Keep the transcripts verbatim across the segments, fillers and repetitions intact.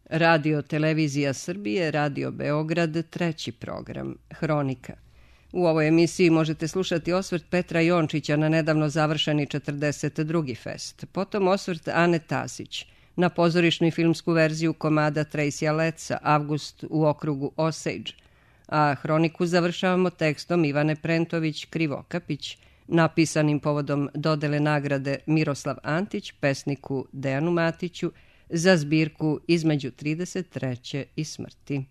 Radio Televizija Srbije, Radio Beograd, treći program, Hronika. U ovoj emisiji možete slušati osvrt Petra Jončića na nedavno završeni četrdeset drugi fest, potom osvrt Ane Tasić na pozorišnu i filmsku verziju komada Tracyja Letsa Avgust u okrugu Osage, a Hroniku završavamo tekstom Ivane Prentović Krivokapić, napisanim povodom dodele nagrade Miroslav Antić pesniku Dejanu Matiću za zbirku Između trideset treće i smrti.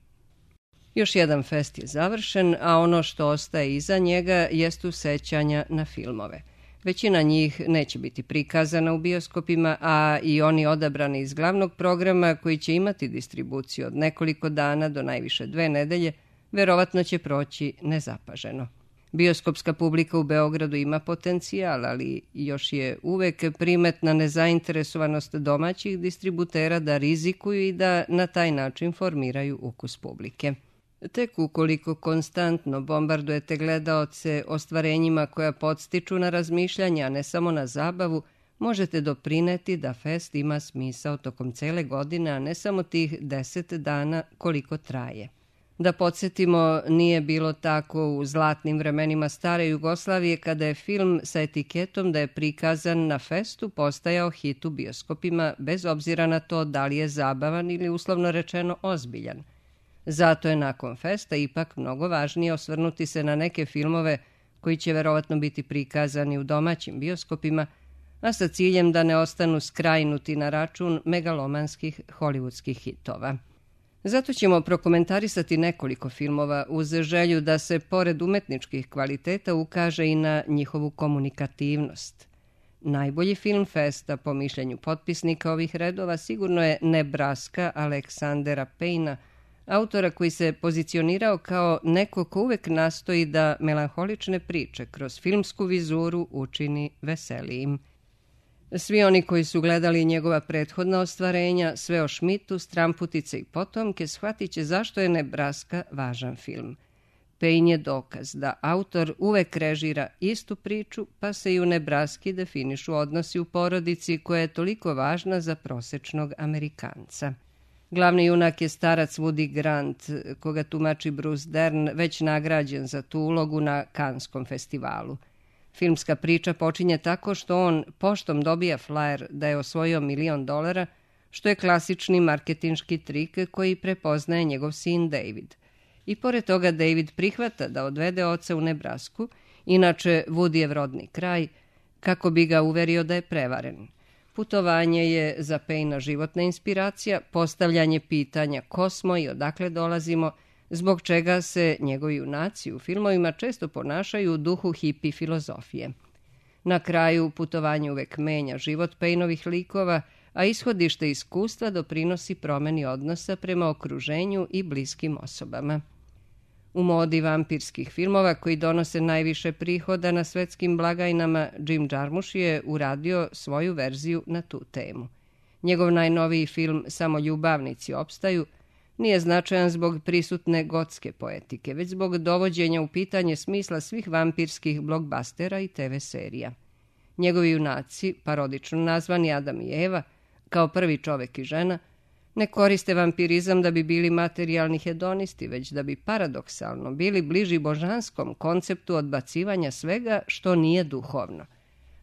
Još jedan fest je završen, a ono što ostaje iza njega jestu sećanja na filmove. Većina njih neće biti prikazana u bioskopima, a i oni odabrani iz glavnog programa koji će imati distribuciju od nekoliko dana do najviše dve nedelje, verovatno će proći nezapaženo. Bioskopska publika u Beogradu ima potencijal, ali još je uvek primetna nezainteresovanost domaćih distributera da rizikuju i da na taj način formiraju ukus publike. Tek ukoliko konstantno bombardujete gledaoce ostvarenjima koja podstiču na razmišljanje, a ne samo na zabavu, možete doprineti da fest ima smisao tokom cele godine, a ne samo tih deset dana koliko traje. Da podsjetimo, nije bilo tako u zlatnim vremenima stare Jugoslavije kada je film sa etiketom da je prikazan na festu postajao hit u bioskopima, bez obzira na to da li je zabavan ili uslovno rečeno ozbiljan. Zato je nakon festa ipak mnogo važnije osvrnuti se na neke filmove koji će verovatno biti prikazani u domaćim bioskopima, a sa ciljem da ne ostanu skrajnuti na račun megalomanskih hollywoodskih hitova. Zato ćemo prokomentarisati nekoliko filmova uz želju da se pored umetničkih kvaliteta ukaže i na njihovu komunikativnost. Najbolji film festa, po mišljenju potpisnika ovih redova, sigurno je Nebraska Aleksandera Payna, autora koji se pozicionirao kao neko ko uvek nastoji da melanholične priče kroz filmsku vizuru učini veselijim. Svi oni koji su gledali njegova prethodna ostvarenja, Sve o Šmitu, Stramputice i potomke, shvatit će zašto je Nebraska važan film. Payne je dokaz da autor uvek režira istu priču, pa se i u Nebraski definišu odnosi u porodici koja je toliko važna za prosečnog Amerikanca. Glavni junak je starac Woody Grant, koga tumači Bruce Dern, već nagrađen za tu ulogu na Kanskom festivalu. Filmska priča počinje tako što on poštom dobija flajer da je osvojio milion dolara, što je klasični marketinški trik koji prepoznaje njegov sin David. I pored toga David prihvata da odvede oca u Nebrasku, inače Woodyjev rodni kraj, kako bi ga uverio da je prevaren. Putovanje je za Payna životna inspiracija, postavljanje pitanja ko smo i odakle dolazimo, zbog čega se njegovi junaci u filmovima često ponašaju u duhu hipi filozofije. Na kraju putovanje uvek menja život Paynovih likova, a ishodište iskustva doprinosi promeni odnosa prema okruženju i bliskim osobama. U modi vampirskih filmova koji donose najviše prihoda na svetskim blagajnama, Jim Jarmusch je uradio svoju verziju na tu temu. Njegov najnoviji film Samo ljubavnici opstaju nije značajan zbog prisutne gotske poetike, već zbog dovođenja u pitanje smisla svih vampirskih blockbustera i te ve serija. Njegovi junaci, parodično nazvani Adam i Eva, kao prvi čovek i žena, ne koriste vampirizam da bi bili materijalni hedonisti, već da bi paradoksalno bili bliži božanskom konceptu odbacivanja svega što nije duhovno.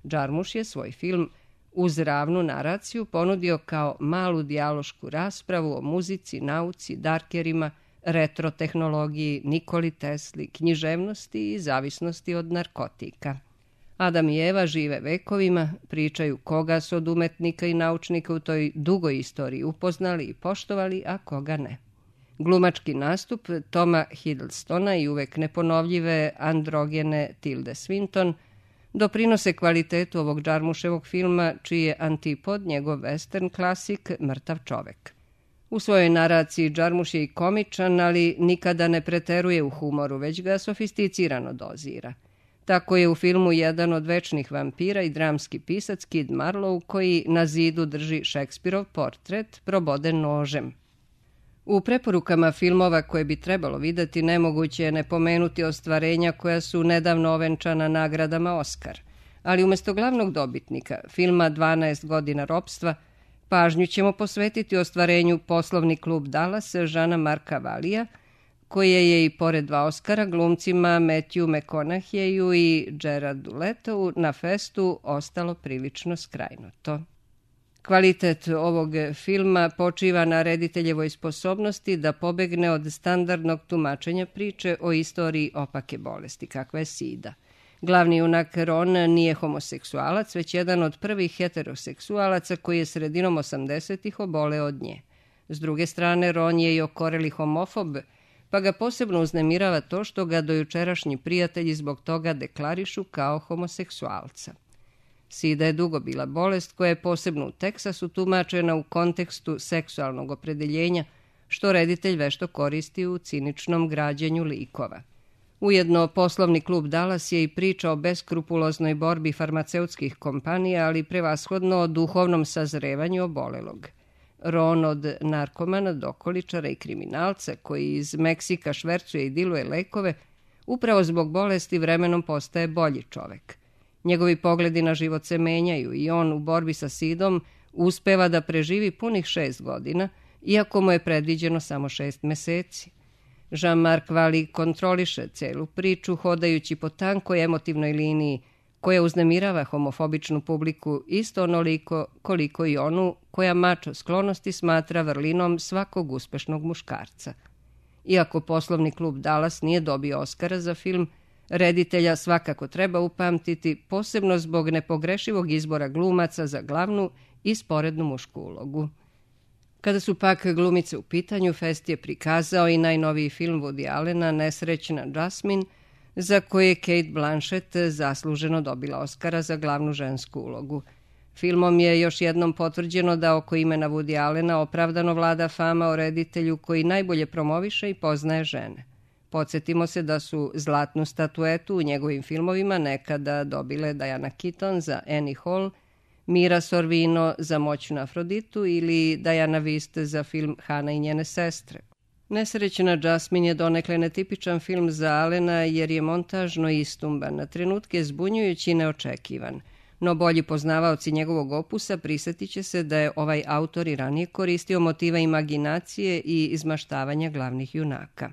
Jarmusch je svoj film uz ravnu naraciju ponudio kao malu dijalošku raspravu o muzici, nauci, darkerima, retro tehnologiji, Nikoli Tesli, književnosti i zavisnosti od narkotika. Adam i Eva žive vekovima, pričaju koga su od umetnika i naučnika u toj dugoj istoriji upoznali i poštovali, a koga ne. Glumački nastup Toma Hiddlestona i uvek neponovljive androgene Tilde Swinton doprinose kvalitetu ovog Jarmuševog filma, čiji je antipod njegov western klasik Mrtav čovek. U svojoj naraciji Jarmusch je i komičan, ali nikada ne preteruje u humoru, već ga sofisticirano dozira. Tako je u filmu jedan od večnih vampira i dramski pisac Kid Marlowe, koji na zidu drži Šekspirov portret proboden nožem. U preporukama filmova koje bi trebalo videti nemoguće je ne pomenuti ostvarenja koja su nedavno ovenčana nagradama Oskar, ali umesto glavnog dobitnika, filma dvanaest godina ropstva, Pažnju ćemo posvetiti ostvarenju Poslovni klub Dallas Jeana Marca Vallija, koje je i pored dva Oscara glumcima Matthew McConaughey i Jaredu Letovu na festu ostalo prilično skrajnuto. Kvalitet ovog filma počiva na rediteljevoj sposobnosti da pobegne od standardnog tumačenja priče o istoriji opake bolesti, kakva je sida. Glavni junak Ron nije homoseksualac, već jedan od prvih heteroseksualaca koji je sredinom osamdesetih oboleo od nje. S druge strane, Ron je i okoreli homofob, pa ga posebno uznemirava to što ga dojučerašnji prijatelji zbog toga deklarišu kao homoseksualca. Sida je dugo bila bolest koja je posebno u Teksasu tumačena u kontekstu seksualnog opredeljenja, što reditelj vešto koristi u ciničnom građenju likova. Ujedno, Poslovni klub Dallas je i priča o beskrupuloznoj borbi farmaceutskih kompanija, ali prevashodno o duhovnom sazrevanju obolelog. Ron od narkomana, dokoličara i kriminalca koji iz Meksika švercuje i diluje lekove, upravo zbog bolesti vremenom postaje bolji čovek. Njegovi pogledi na život se menjaju i on u borbi sa sidom uspeva da preživi punih šest godina, iako mu je predviđeno samo šest meseci. Jean-Marc Valley kontroliše celu priču hodajući po tankoj emotivnoj liniji koja uznemirava homofobičnu publiku isto onoliko koliko i onu koja mačo sklonosti smatra vrlinom svakog uspešnog muškarca. Iako Poslovni klub Dallas nije dobio Oskara za film, reditelja svakako treba upamtiti, posebno zbog nepogrešivog izbora glumaca za glavnu i sporednu mušku ulogu. Kada su pak glumice u pitanju, fest je prikazao i najnoviji film Woody Allena Nesrećna Jasmine, za koje je Cate Blanchett zasluženo dobila Oskara za glavnu žensku ulogu. Filmom je još jednom potvrđeno da oko imena Woody Allena opravdano vlada fama o reditelju koji najbolje promoviše i poznaje žene. Podsjetimo se da su zlatnu statuetu u njegovim filmovima nekada dobile Diana Keaton za Annie Hall, Mira Sorvino za Moćnu Afroditu ili Diana Vist za film Hana i njene sestre. Nesrećna Jasmine je donekle netipičan film za Allena jer je montažno istumban, na trenutke zbunjujući i neočekivan. No bolji poznavaoci njegovog opusa prisjetit će se da je ovaj autor i ranije koristio motiva imaginacije i izmaštavanja glavnih junaka.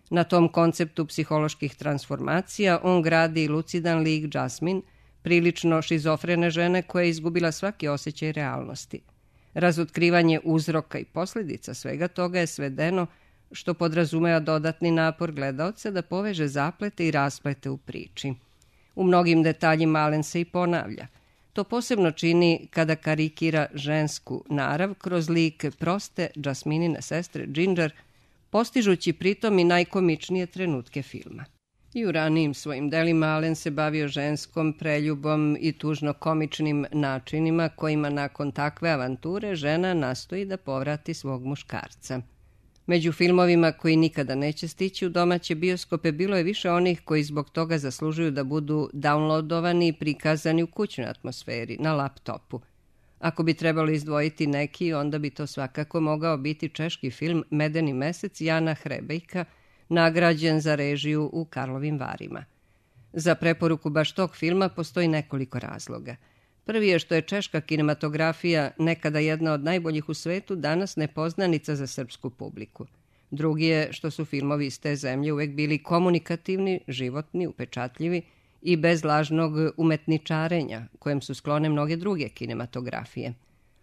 Na tom konceptu psiholoških transformacija on gradi lucidan lik Jasmine, prilično šizofrene žene koja je izgubila svaki osjećaj realnosti. Razotkrivanje uzroka i posljedica svega toga je svedeno, što podrazumeva dodatni napor gledaoca da poveže zaplete i rasplete u priči. U mnogim detaljima Allen se i ponavlja. To posebno čini kada karikira žensku narav kroz lik proste Jasminine sestre Ginger, postižući pritom i najkomičnije trenutke filma. I u ranijim svojim delima Allen se bavio ženskom preljubom i tužno-komičnim načinima kojima nakon takve avanture žena nastoji da povrati svog muškarca. Među filmovima koji nikada neće stići u domaće bioskope bilo je više onih koji zbog toga zaslužuju da budu downloadovani i prikazani u kućnoj atmosferi, na laptopu. Ako bi trebalo izdvojiti neki, onda bi to svakako mogao biti češki film Medeni mesec Jana Hrebejka, nagrađen za režiju u Karlovim Varima. Za preporuku baš tog filma postoji nekoliko razloga. Prvi je što je češka kinematografija, nekada jedna od najboljih u svetu, danas nepoznanica za srpsku publiku. Drugi je što su filmovi iz te zemlje uvek bili komunikativni, životni, upečatljivi i bez lažnog umetničarenja, kojem su sklone mnoge druge kinematografije.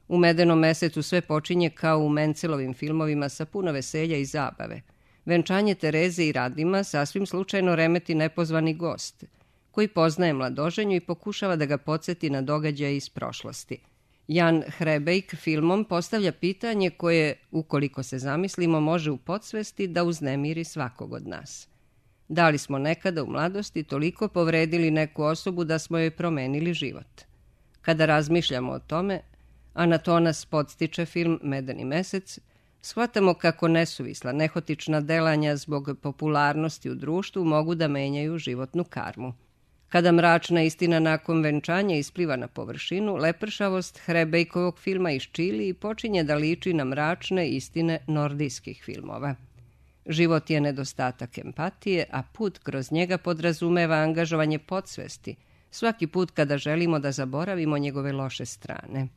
U Medenom mesecu sve počinje kao u Mencelovim filmovima sa puno veselja i zabave. Venčanje Tereze i Radima sasvim slučajno remeti nepozvani gost, koji poznaje mladoženju i pokušava da ga podsjeti na događaje iz prošlosti. Jan Hrebejk filmom postavlja pitanje koje, ukoliko se zamislimo, može u podsvesti da uznemiri svakog od nas. Da li smo nekada u mladosti toliko povredili neku osobu da smo joj promenili život? Kada razmišljamo o tome, a na to nas podstiče film Medeni mesec, shvatamo kako nesuvisla, nehotična delanja zbog popularnosti u društvu mogu da menjaju životnu karmu. Kada mračna istina nakon venčanja ispliva na površinu, lepršavost Hrebejkovog filma iščili i počinje da liči na mračne istine nordijskih filmova. Život je nedostatak empatije, a put kroz njega podrazumeva angažovanje podsvesti, svaki put kada želimo da zaboravimo njegove loše strane.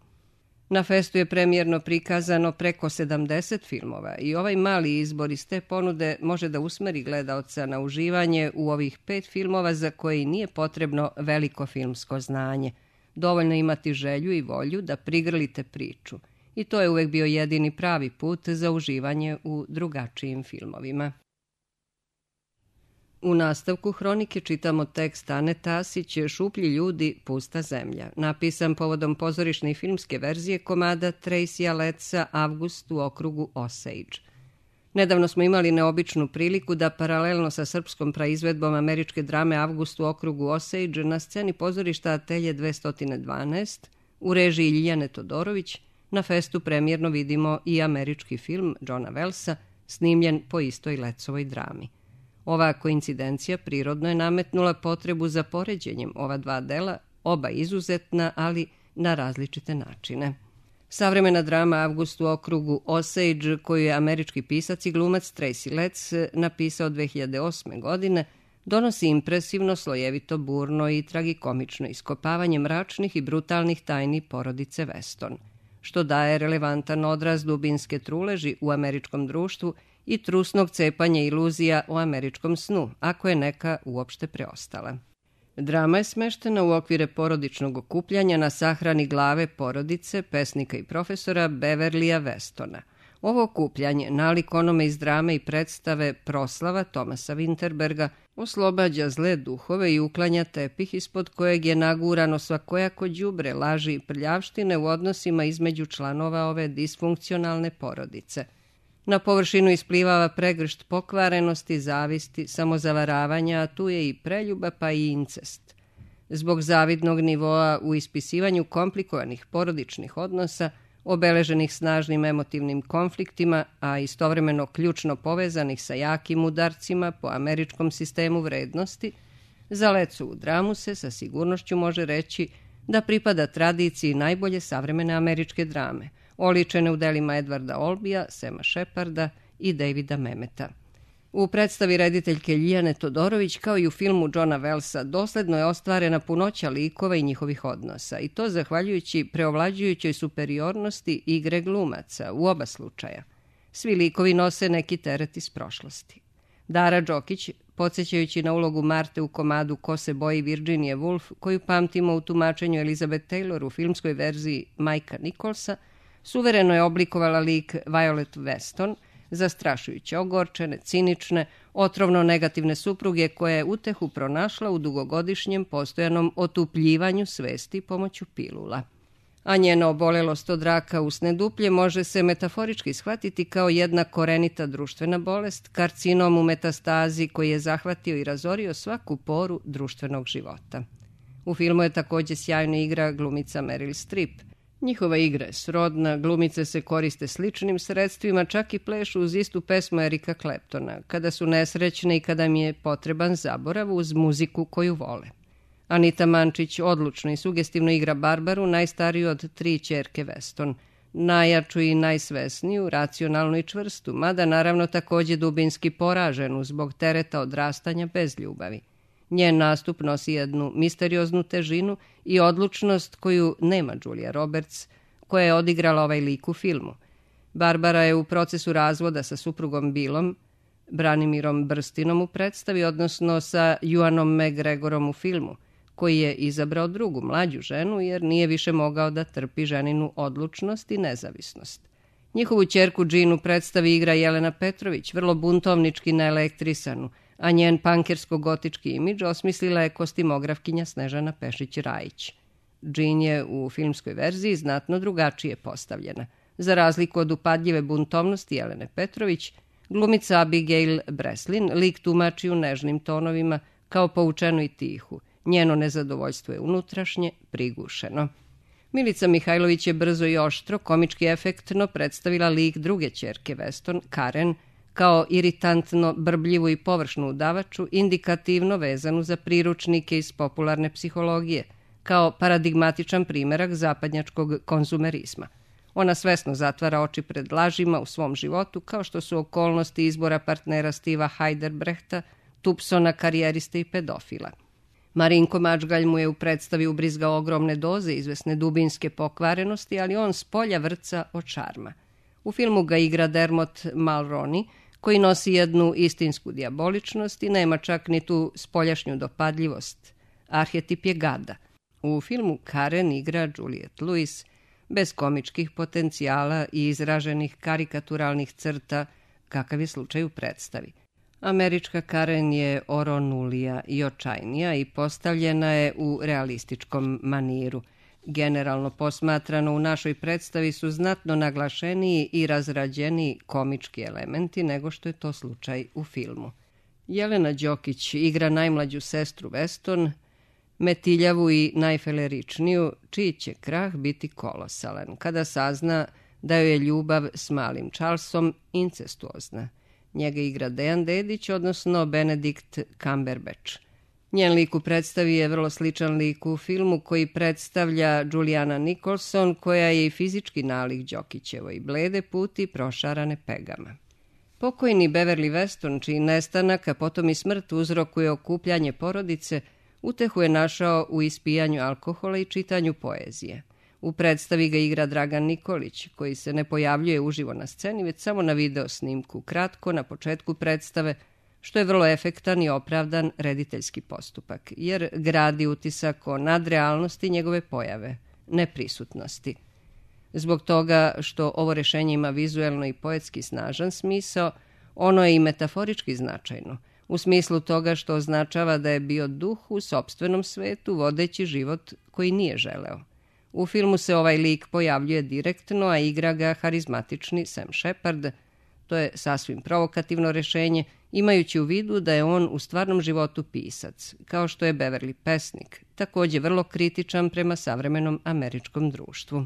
Na festu je premijerno prikazano preko sedamdeset filmova i ovaj mali izbor iz te ponude može da usmeri gledaoca na uživanje u ovih pet filmova za koje nije potrebno veliko filmsko znanje. Dovoljno imati želju i volju da prigrlite priču. I to je uvek bio jedini pravi put za uživanje u drugačijim filmovima. U nastavku hronike čitamo tekst Ane Tasić "Šuplji ljudi, pusta zemlja", napisan povodom pozorišne i filmske verzije komada Tracya Lettsa "Avgust u okrugu Osage". Nedavno smo imali neobičnu priliku da paralelno sa srpskom praizvedbom američke drame Avgust u okrugu Osage na sceni pozorišta Atelje dvesta dvanaest u režiji Ljiljane Todorović na festu premijerno vidimo i američki film Johna Wellsa snimljen po istoj Lettsovoj drami. Ova koincidencija prirodno je nametnula potrebu za poređenjem ova dva dela, oba izuzetna, ali na različite načine. Savremena drama Avgust u okrugu Osage, koju je američki pisac i glumac Tracy Letts napisao dve hiljade osme. godine, donosi impresivno, slojevito, burno i tragikomično iskopavanje mračnih i brutalnih tajni porodice Weston, što daje relevantan odraz dubinske truleži u američkom društvu i trusnog cepanja iluzija o američkom snu, ako je neka uopšte preostala. Drama je smeštena u okvire porodičnog okupljanja na sahrani glave porodice, pesnika i profesora Beverlya Westona. Ovo okupljanje, nalik onome iz drame i predstave Proslava Thomasa Winterberga, oslobađa zle duhove i uklanja tepih ispod kojeg je nagurano svakojako đubre, laži i prljavštine u odnosima između članova ove disfunkcionalne porodice. Na površinu isplivava pregršt pokvarenosti, zavisti, samozavaravanja, a tu je i preljuba pa i incest. Zbog zavidnog nivoa u ispisivanju komplikovanih porodičnih odnosa, obeleženih snažnim emotivnim konfliktima, a istovremeno ključno povezanih sa jakim udarcima po američkom sistemu vrednosti, za Lettsovu dramu se sa sigurnošću može reći da pripada tradiciji najbolje savremene američke drame, oličene u delima Edwarda Olbija, Sema Sheparda i Davida Memeta. U predstavi rediteljke Ljiljane Todorović, kao i u filmu Johna Wellsa, dosledno je ostvarena punoća likova i njihovih odnosa, i to zahvaljujući preovlađujućoj superiornosti igre glumaca u oba slučaja. Svi likovi nose neki teret iz prošlosti. Dara Đokić, podsjećajući na ulogu Marte u komadu Ko se boji Virginia Woolf, koju pamtimo u tumačenju Elizabeth Taylor u filmskoj verziji Mikea Nicholsa, suvereno je oblikovala lik Violet Weston, zastrašujuće ogorčene, cinične, otrovno negativne supruge koja je utehu pronašla u dugogodišnjem postojanom otupljivanju svesti pomoću pilula. A njena obolelost od raka usne duplje može se metaforički shvatiti kao jedna korenita društvena bolest, karcinom u metastazi koji je zahvatio i razorio svaku poru društvenog života. U filmu je takođe sjajna igra glumica Meryl Streep. Njihova igra je srodna, glumice se koriste sličnim sredstvima, čak i plešu uz istu pesmu Erika Claptona, kada su nesrećne i kada mi je potreban zaborav uz muziku koju vole. Anita Mančić odlučno i sugestivno igra Barbaru, najstariju od tri ćerke Weston, najjaču i najsvesniju, racionalnu i čvrstu, mada naravno takođe dubinski poraženu zbog tereta odrastanja bez ljubavi. Njen nastup nosi jednu misterioznu težinu i odlučnost koju nema Julia Roberts, koja je odigrala ovaj lik u filmu. Barbara je u procesu razvoda sa suprugom Billom, Branimirom Brstinom u predstavi, odnosno sa Ewanom McGregorom u filmu, koji je izabrao drugu, mlađu ženu, jer nije više mogao da trpi ženinu odlučnost i nezavisnost. Njihovu ćerku Džinu predstavi igra Jelena Petrović, vrlo buntovnički naelektrisanu, a njen pankersko-gotički imidž osmislila je kostimografkinja Snežana Pešić-Rajić. Džin je u filmskoj verziji znatno drugačije postavljena. Za razliku od upadljive buntovnosti Jelene Petrović, glumica Abigail Breslin lik tumači u nežnim tonovima, kao poučenu i tihu. Njeno nezadovoljstvo je unutrašnje, prigušeno. Milica Mihajlović je brzo i oštro, komički efektno predstavila lik druge ćerke Weston, Karen, kao iritantno, brbljivu i površnu udavaču, indikativno vezanu za priručnike iz popularne psihologije, kao paradigmatičan primerak zapadnjačkog konzumerizma. Ona svesno zatvara oči pred lažima u svom životu, kao što su okolnosti izbora partnera Steva Heidelbrechta, Tupsona, karijeriste i pedofila. Marinko Mačgalj mu je u predstavi ubrizgao ogromne doze izvesne dubinske pokvarenosti, ali on s polja vrca od šarma. U filmu ga igra Dermot Mulroney, koji nosi jednu istinsku dijaboličnost i nema čak ni tu spoljašnju dopadljivost. Arhetip je gada. U filmu Karen igra Juliette Lewis, bez komičkih potencijala i izraženih karikaturalnih crta, kakav je slučaj u predstavi. Američka Karen je oronulija i očajnija i postavljena je u realističkom maniru. Generalno posmatrano u našoj predstavi su znatno naglašeniji i razrađeniji komički elementi nego što je to slučaj u filmu. Jelena Đokić igra najmlađu sestru Weston, metiljavu i najfeleričniju, čiji će krah biti kolosalan, kada sazna da joj je ljubav s malim Charlesom incestuozna. Njega igra Dejan Dedić, odnosno Benedict Cumberbatch. Njen lik u predstavi je vrlo sličan liku u filmu koji predstavlja Juliana Nicholson, koja je i fizički nalik Đokićevoj, blede puti prošarane pegama. Pokojni Beverly Weston, čiji nestanak, a potom i smrt uzrokuje okupljanje porodice, utehu je našao u ispijanju alkohola i čitanju poezije. U predstavi ga igra Dragan Nikolić, koji se ne pojavljuje uživo na sceni, već samo na video snimku, kratko na početku predstave, što je vrlo efektan i opravdan rediteljski postupak, jer gradi utisak o nadrealnosti njegove pojave, neprisutnosti. Zbog toga što ovo rešenje ima vizuelno i poetski snažan smisao, ono je i metaforički značajno, u smislu toga što označava da je bio duh u sopstvenom svetu vodeći život koji nije želeo. U filmu se ovaj lik pojavljuje direktno, a igra ga harizmatični Sam Shepard. To je sasvim provokativno rešenje, imajući u vidu da je on u stvarnom životu pisac, kao što je Beverly pesnik, također vrlo kritičan prema savremenom američkom društvu.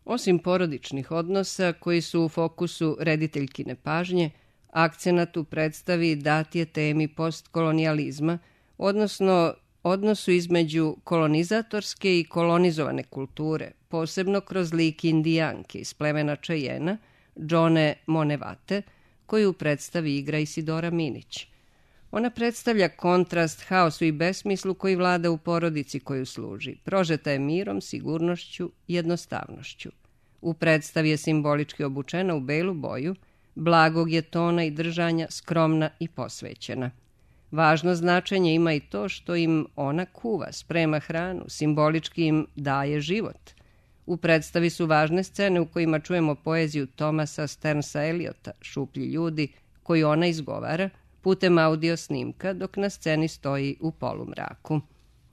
Osim porodičnih odnosa koji su u fokusu rediteljkine pažnje, akcenat u predstavi dat je temi postkolonijalizma, odnosno odnosu između kolonizatorske i kolonizovane kulture, posebno kroz lik indijanke iz plemena Čejena, Džone Monevate, koju u predstavi igra Isidora Minić. Ona predstavlja kontrast haosu i besmislu koji vlada u porodici koju služi. Prožeta je mirom, sigurnošću i jednostavnošću. U predstavi je simbolički obučena u belu boju, blagog je tona i držanja, skromna i posvećena. Važno značenje ima i to što im ona kuva, sprema hranu, simbolički im daje život. U predstavi su važne scene u kojima čujemo poeziju Thomasa Sternsa Eliota, Šuplji ljudi, koju ona izgovara putem audio snimka dok na sceni stoji u polumraku.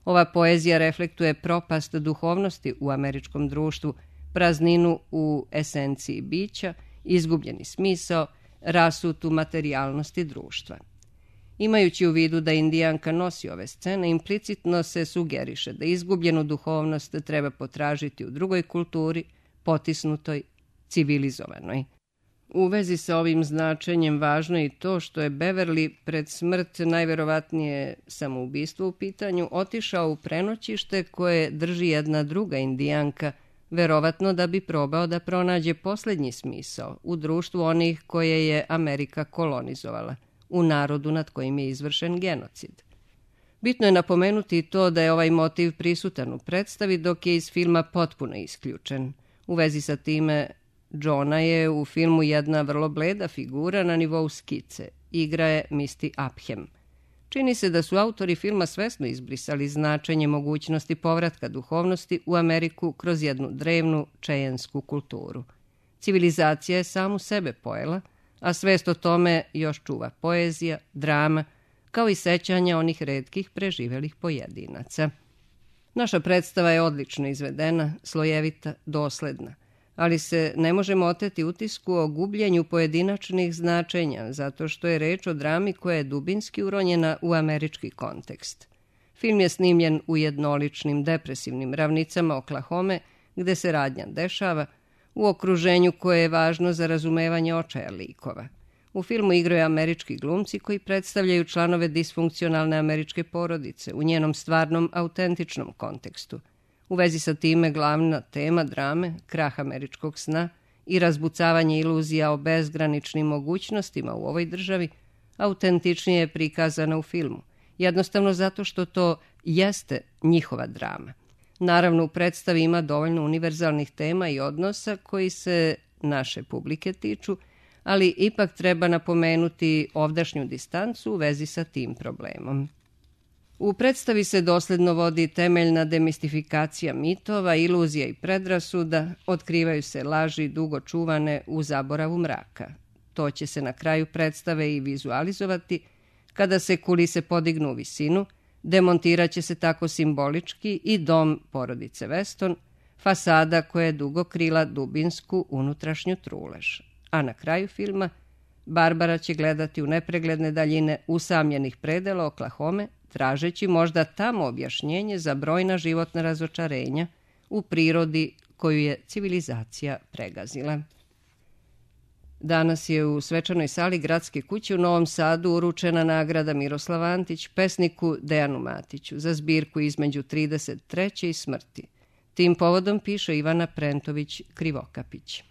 Ova poezija reflektuje propast duhovnosti u američkom društvu, prazninu u esenciji bića, izgubljeni smisao, rasutu materijalnosti društva. Imajući u vidu da indijanka nosi ove scene, implicitno se sugeriše da izgubljenu duhovnost treba potražiti u drugoj kulturi, potisnutoj, civilizovanoj. U vezi sa ovim značenjem važno je i to što je Beverly pred smrt, najverovatnije samoubistvo u pitanju, otišao u prenoćište koje drži jedna druga indijanka, verovatno da bi probao da pronađe posljednji smisao u društvu onih koje je Amerika kolonizovala, u narodu nad kojim je izvršen genocid. Bitno je napomenuti i to da je ovaj motiv prisutan u predstavi, dok je iz filma potpuno isključen. U vezi sa time, Johna je u filmu jedna vrlo bleda figura na nivou skice. Igra je Misty Upham. Čini se da su autori filma svesno izbrisali značenje mogućnosti povratka duhovnosti u Ameriku kroz jednu drevnu čejensku kulturu. Civilizacija je samu sebe pojela, a svest o tome još čuva poezija, drama, kao i sećanja onih retkih preživelih pojedinaca. Naša predstava je odlično izvedena, slojevita, dosledna, ali se ne možemo oteti utisku o gubljenju pojedinačnih značenja, zato što je reč o drami koja je dubinski uronjena u američki kontekst. Film je snimljen u jednoličnim depresivnim ravnicama Oklahome, gde se radnja dešava, u okruženju koje je važno za razumevanje očaja likova. U filmu igraju američki glumci koji predstavljaju članove disfunkcionalne američke porodice u njenom stvarnom, autentičnom kontekstu. U vezi sa time glavna tema drame, krah američkog sna i razbucavanje iluzija o bezgraničnim mogućnostima u ovoj državi, autentičnije je prikazana u filmu, jednostavno zato što to jeste njihova drama. Naravno, u predstavi ima dovoljno univerzalnih tema i odnosa koji se naše publike tiču, ali ipak treba napomenuti ovdašnju distancu u vezi sa tim problemom. U predstavi se dosledno vodi temeljna demistifikacija mitova, iluzija i predrasuda, otkrivaju se laži dugo čuvane u zaboravu mraka. To će se na kraju predstave i vizualizovati kada se kulise podignu u visinu, demontirat će se tako simbolički i dom porodice Weston, fasada koja je dugo krila dubinsku unutrašnju trulež. A na kraju filma Barbara će gledati u nepregledne daljine usamljenih predela Oklahome, tražeći možda tamo objašnjenje za brojna životna razočarenja u prirodi koju je civilizacija pregazila. Danas je u svečanoj sali Gradske kuće u Novom Sadu uručena nagrada Miroslav Antić pesniku Dejanu Matiću za zbirku Između trideset treće i smrti. Tim povodom piše Ivana Prentović Krivokapić.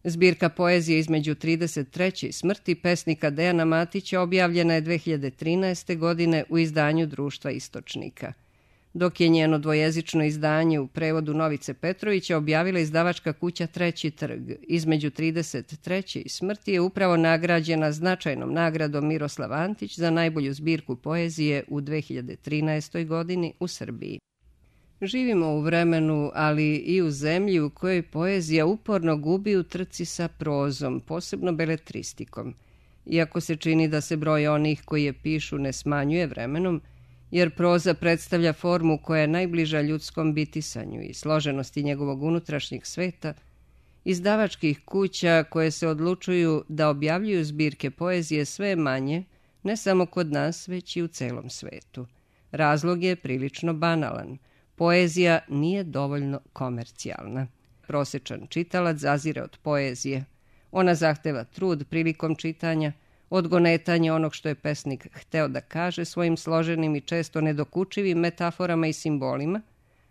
Zbirka poezije Između trideset treće i smrti pesnika Dejana Matića objavljena je dve hiljade trinaeste. godine u izdanju Društva Istočnika, dok je njeno dvojezično izdanje u prevodu Novice Petrovića objavila izdavačka kuća Treći trg. Između trideset treće i smrti je upravo nagrađena značajnom nagradom Miroslav Antić za najbolju zbirku poezije u dve hiljade trinaestoj. godini u Srbiji. Živimo u vremenu, ali i u zemlji u kojoj poezija uporno gubi u trci sa prozom, posebno beletristikom. Iako se čini da se broj onih koji je pišu ne smanjuje vremenom, jer proza predstavlja formu koja je najbliža ljudskom bitisanju i složenosti njegovog unutrašnjeg sveta, izdavačkih kuća koje se odlučuju da objavljuju zbirke poezije sve manje, ne samo kod nas, već i u celom svetu. Razlog je prilično banalan. Poezija nije dovoljno komercijalna. Prosečan čitalac zazire od poezije. Ona zahteva trud prilikom čitanja, odgonetanje onog što je pesnik hteo da kaže svojim složenim i često nedokučivim metaforama i simbolima,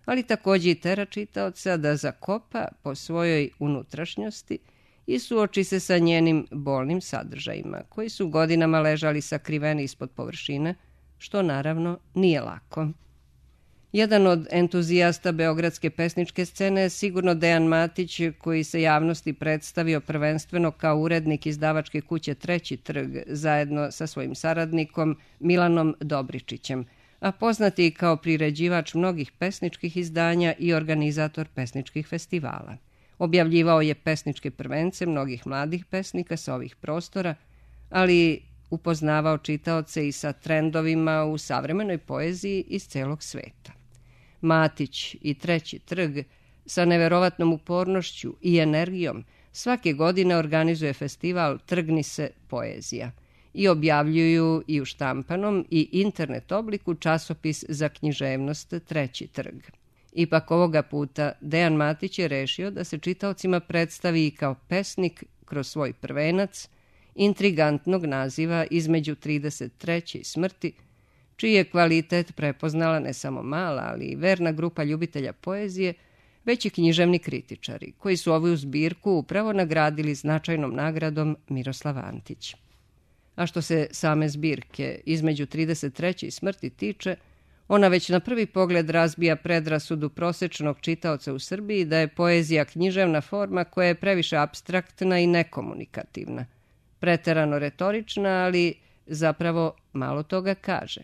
ali takođe i tera čitaoca da zakopa po svojoj unutrašnjosti i suoči se sa njenim bolnim sadržajima, koji su godinama ležali sakriveni ispod površine, što naravno nije lako. Jedan od entuzijasta beogradske pesničke scene je sigurno Dejan Matić, koji se javnosti predstavio prvenstveno kao urednik izdavačke kuće Treći trg, zajedno sa svojim saradnikom Milanom Dobričićem, a poznati i kao priređivač mnogih pesničkih izdanja i organizator pesničkih festivala. Objavljivao je pesničke prvence mnogih mladih pesnika sa ovih prostora, ali upoznavao čitaoce i sa trendovima u savremenoj poeziji iz celog sveta. Matić i Treći trg sa neverovatnom upornošću i energijom svake godine organizuje festival Trgni se poezija i objavljuju i u štampanom i internet obliku časopis za književnost Treći trg. Ipak ovoga puta Dejan Matić je rešio da se čitaocima predstavi i kao pesnik kroz svoj prvenac intrigantnog naziva Između trideset treće i smrti, čiji je kvalitet prepoznala ne samo mala, ali i verna grupa ljubitelja poezije, već i književni kritičari, koji su ovu zbirku upravo nagradili značajnom nagradom Miroslav Antić. A što se same zbirke Između trideset treće i smrti tiče, ona već na prvi pogled razbija predrasudu prosečnog čitaoca u Srbiji da je poezija književna forma koja je previše apstraktna i nekomunikativna, preterano retorična, ali zapravo malo toga kaže.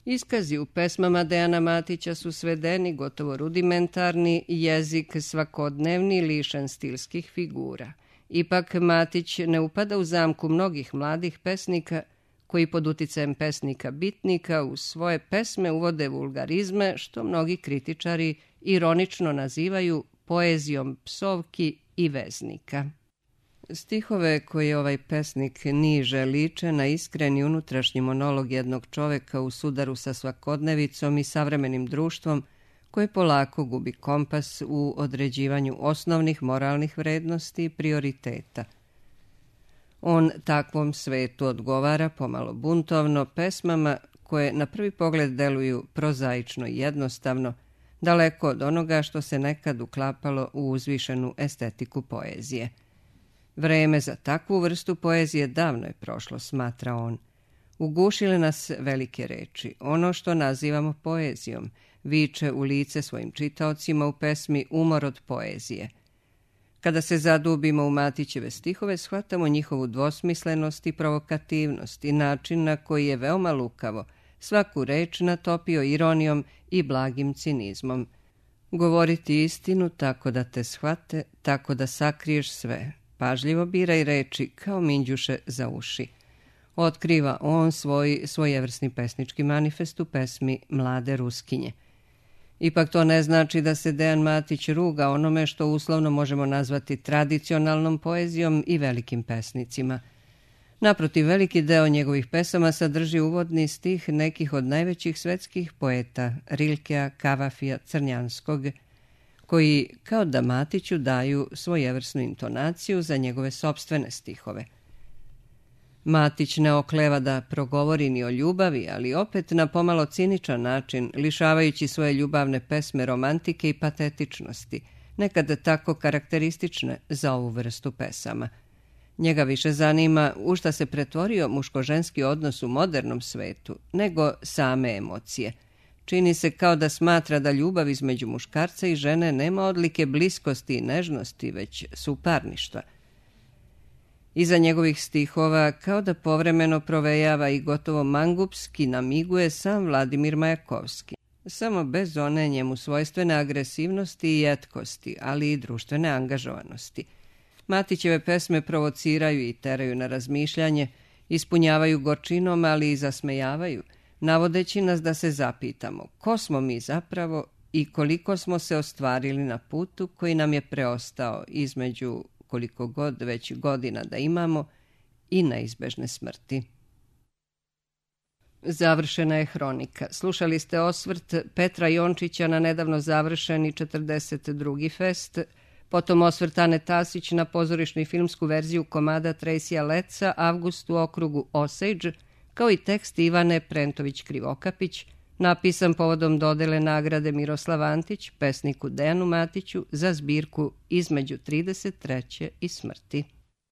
Iskazi u pesmama Dejana Matića su svedeni, gotovo rudimentarni, jezik svakodnevni, lišen stilskih figura. Ipak Matić ne upada u zamku mnogih mladih pesnika koji pod uticajem pesnika bitnika u svoje pesme uvode vulgarizme, što mnogi kritičari ironično nazivaju poezijom psovki i veznika. Stihove koje ovaj pesnik niže liče na iskreni unutrašnji monolog jednog čoveka u sudaru sa svakodnevicom i savremenim društvom koje polako gubi kompas u određivanju osnovnih moralnih vrednosti i prioriteta. On takvom svetu odgovara pomalo buntovno pesmama koje na prvi pogled deluju prozaično i jednostavno, daleko od onoga što se nekad uklapalo u uzvišenu estetiku poezije. Vreme za takvu vrstu poezije davno je prošlo, smatra on. Ugušile nas velike reči, ono što nazivamo poezijom, viče u lice svojim čitaocima u pesmi Umor od poezije. Kada se zadubimo u Matićeve stihove, shvatamo njihovu dvosmislenost i provokativnost i način na koji je veoma lukavo svaku reč natopio ironijom i blagim cinizmom. Govoriti istinu tako da te shvate, tako da sakriješ sve. Pažljivo biraj reči kao minđuše za uši. Otkriva on svoj svojevrsni pesnički manifest u pesmi Mlade Ruskinje. Ipak to ne znači da se Dejan Matić ruga onome što uslovno možemo nazvati tradicionalnom poezijom i velikim pesnicima. Naprotiv, veliki deo njegovih pesama sadrži uvodni stih nekih od najvećih svetskih poeta, Rilkea, Kavafija, Crnjanskog, koji kao da Matiću daju svojevrsnu intonaciju za njegove sopstvene stihove. Matić ne okleva da progovori ni o ljubavi, ali opet na pomalo ciničan način, lišavajući svoje ljubavne pesme romantike i patetičnosti, nekada tako karakteristične za ovu vrstu pesama. Njega više zanima u šta se pretvorio muško-ženski odnos u modernom svetu, nego same emocije. Čini se kao da smatra da ljubav između muškarca i žene nema odlike bliskosti i nežnosti, već suparništva. Iza njegovih stihova kao da povremeno provejava i gotovo mangupski namiguje sam Vladimir Majakovski, samo bez one njemu svojstvene agresivnosti i jetkosti, ali i društvene angažovanosti. Matićeve pesme provociraju i teraju na razmišljanje, ispunjavaju gorčinom, ali i zasmejavaju, navodeći nas da se zapitamo ko smo mi zapravo i koliko smo se ostvarili na putu koji nam je preostao između koliko god već godina da imamo i neizbežne smrti. Završena je hronika. Slušali ste osvrt Petra Jončića na nedavno završeni četrdeset drugi fest, potom osvrt Ane Tasić na pozorišnu i filmsku verziju komada Tracyja Letsa Avgust u okrugu Osage, kao i tekst Ivane Prentović-Krivokapić, napisan povodom dodele nagrade Miroslav Antić, pesniku Dejanu Matiću za zbirku Između trideset treće i smrti.